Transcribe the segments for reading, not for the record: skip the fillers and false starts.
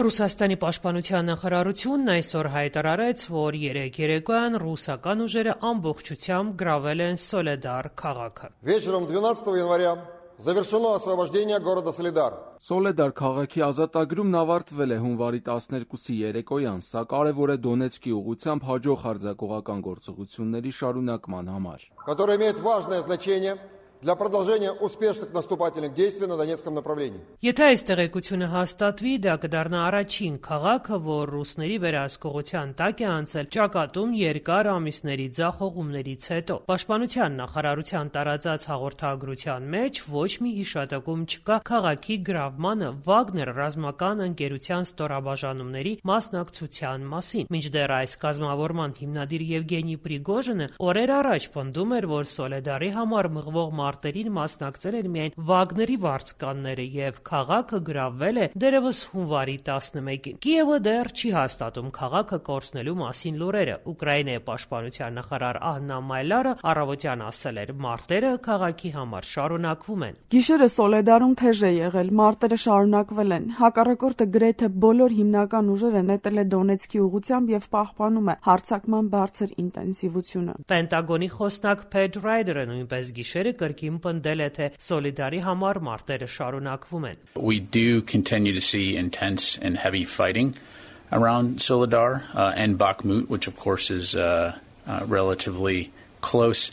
Ռուսաստանի պաշտպանության նախարարությունն այսօր հայտարարեց, որ երեկ երեկոյան ռուսական ուժերը ամբողջությամբ գրավել են Սոլեդար քաղաքը։ Вечером 12 января завершено освобождение города Солидар. Սոլեդար քաղաքի ազատագրումն ավարտվել է հունվարի 12-ի երեկոյան, սա կարևոր է Դոնեցկի ուղղությամբ հաջող հարձակողական գործողությունների շարունակման համար, Который имеет важное значение для продолжения успешных наступательных действий на Донецком направлении. Եթե այս տեղեկությունը հաստատվի, դա կդառնա առաջին քաղաքը, որ ռուսների վերահսկողության տակ է անցել ճակատում երկար ամիսների ձախողումներից հետո։ Պաշտպանության նախարարության տարածած հաղորդագրության մեջ ոչ մի հիշատակում չկա քաղաքի գրավմանը Վագներ ռազմական ընկերության ստորաբաժանումների մասնակցության մասին։ Մինչդեռ այս կազմավորման հիմնադիր Եվգենի Պրիգոժինը օրեր առաջ պնդում էր, որ Սոլեդարի համար մղվող մարտերին մասնակցել են միայն Վագների վարձկանները եւ քաղաքը գրավվել է դերևս հունվարի 11-ին։ Կիևը դեռ չի հաստատում քաղաքը կորցնելու մասին լուրերը։ Ուկրաինայի պաշտպանության նախարար Աննա Մայլարը առավոտյան ասել էր, մարտերը քաղաքի համար շարունակվում են։ Գիշերը Սոլեդարում թեժ է եղել, մարտերը շարունակվել են։ Հակառակորդը գրեթե բոլոր հիմնական ուժերը նետել է Դոնեցկի ուղղությամբ եւ պահպանում է հարձակման բարձր ինտենսիվությունը։ Պենտագոնի խոսնակ Փեդ Ռայդերը նույնպես գիշերը կրկին պնդել է, թե Սոլիդարի համար մարտերը շարունակվում են։ We do continue to see intense and heavy fighting around Soledar and Bakhmut, which of course is relatively close.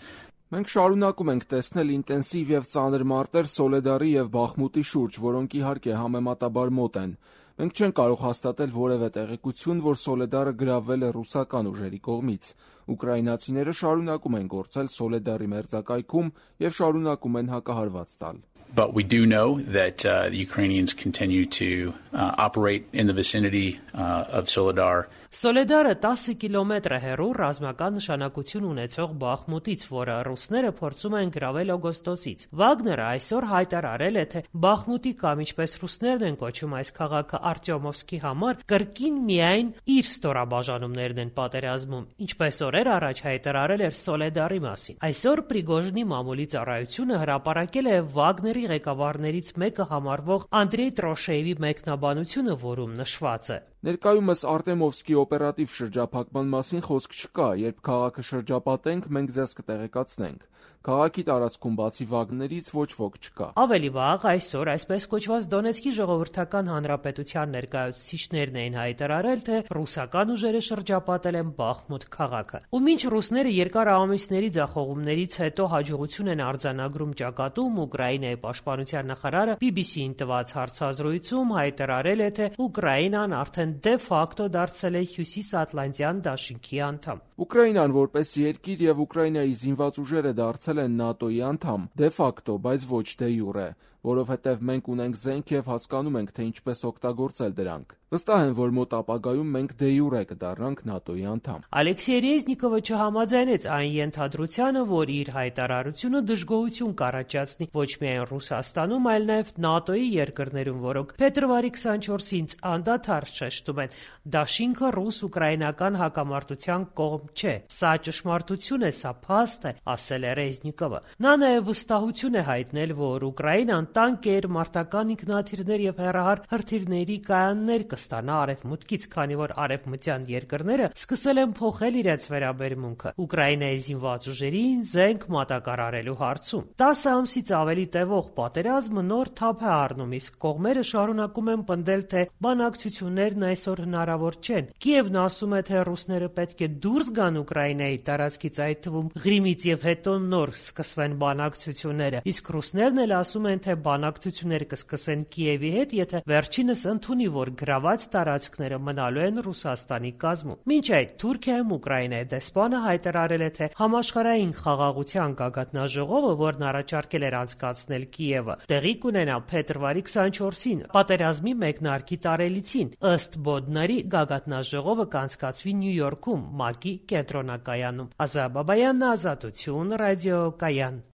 Մենք շարունակում ենք տեսնել ինտենսիվ եւ ծանր մարտեր Սոլեդարի եւ Բախմուտի շուրջ, որոնք իհարկե համեմատաբար մոտ են։ Մենք չենք կարող հաստատել որևէ տեղեկություն, որ Սոլեդարը գրավվել է ռուսական ուժերի կողմից։ Ուկրաինացիները շարունակում են գործել Սոլեդարի մերձակայքում եւ շարունակում են հակահարված տալ։ But we do know that the Ukrainians continue to operate in the vicinity of Soledar. Սոլեդարը 10 կիլոմետր է հեռու ռազմական նշանակություն ունեցող Բախմուտից, որը ռուսները փորձում են գրավել օգոստոսից։ Վագները այսօր հայտարարել է, թե Բախմուտի կամ ինչպես ռուսներն են կոչում այս քաղաքը Արտյոմովսկի համար, կրկին միայն իր ստորաբաժանումներն են պատերազմում, ինչպես օրեր առաջ հայտարարել էր Սոլեդարի մասին։ Այսօր Պրիգոժինի մամուլի ծառայությունը հրապարակել է Վագների ղեկավարներից մեկը համարվող Անդրեյ Տրոշեևի մեկնաբանությունը, որում նշված է. Ներկայումս Արտեմովսկի օպերատիվ շրջափակման մասին խոսք չկա, երբ քաղաքը շրջապատենք, մենք ձեզ կտեղեկացնենք։ Քաղաքի տարածքում բացի Վագներից ոչ ոք չկա։ Ավելի վաղ այսօր այսպես կոչված Դոնեցկի ժողովրդական հանրապետության ներկայացուցիչներն էին հայտարարել, թե ռուսական ուժերը շրջապատել են Բախմուտ քաղաքը։ Ու մինչ ռուսները երկար ամիսների ձախողումներից հետո հաջողություն են արձանագրում ճակատում, Ուկրաինայի պաշտպանության նախարարը BBC-ին տված հարցազրույցում հայտարարել է, թե Ուկրաինան արդեն դե ֆակտո դարձել է Հյուսիսատլանտյան դաշինքի անդամ։ Ուկրաինան որպես երկիր եւ Ուկրաինայի զինված ուժերը դարձել են ՆԱՏՕ-ի անդամ, դե ֆակտո, բայց ոչ դե յուրե, որովհետև մենք ունենք զենք եւ հասկանում ենք, թե ինչպես օգտագործել դրանք։ Վստահ եմ, որ մոտ ապագայում մենք դե յուրե կդառնանք ՆԱՏՕ-ի անդամ։ Ալեքսեյ Ռեզնիկովը չհամաձայնեց այն ենթադրությանը, որ իր հայտարարությունը դժգոհություն կառաջացնի ոչ միայն Ռուսաստանում, այլ նաեւ ՆԱՏՕ-ի երկրներում, որոնք փետրվարի 24-ին անդադար շեշտում են, դաշինքը ռուս-ուկրաինական հակամարտության կողմ չէ։ Սա ճշմարտություն է, սա փաստ է, ասել է Ռեզնիկովը։ Նա նաեւ վստահություն է հայտնել, որ Ուկրաինան տանկեր, մարտական ինքնաթիռներ եւ հեռահար հրթիռների կայաններ կստանա արևմուտքից, քանի որ արևմտյան երկրները սկսել են փոխել իրենց վերաբերմունքը Ուկրաինայի զինված ուժերին զենք մատակարարելու հարցում։ 10 ամսից ավելի տևող պատերազմը նոր թափ է առնում, իսկ կողմերը շարունակում են պնդել, թե բանակցություններն այսօր հնարավոր չեն։ Կիևն ասում է, թե ռուսները պետք է դուրս գան Ուկրաինայի տարածքից, այդ թվում Ղրիմից եւ հետո նոր սկսվեն բանակցությունները, իսկ ռուսներն էլ ասում են, թե բանակցությունները կսկսեն Կիևի հետ, եթե վերջինս ընդունի, որ գրաված տարածքները մնալու են Ռուսաստանի կազմում։ Մինչ այդ Թուրքիայում Ուկրաինայի դեսպանը հայտարարել է, թե համաշխարհային խաղաղության գագաթնաժողովը, որն առաջարկել էր անցկացնել Կիևը, տեղի կունենա փետրվարի 24-ին, պատերազմի մեկնարկի տարելիցին։ Ըստ Բոդնարի գագաթնաժողովը կանցկացվի Նյու Յորքում, ՄԱԿ-ի կենտրոնակայանում։ Ազա Բաբայանն, Ազատություն, ռադիոկայան։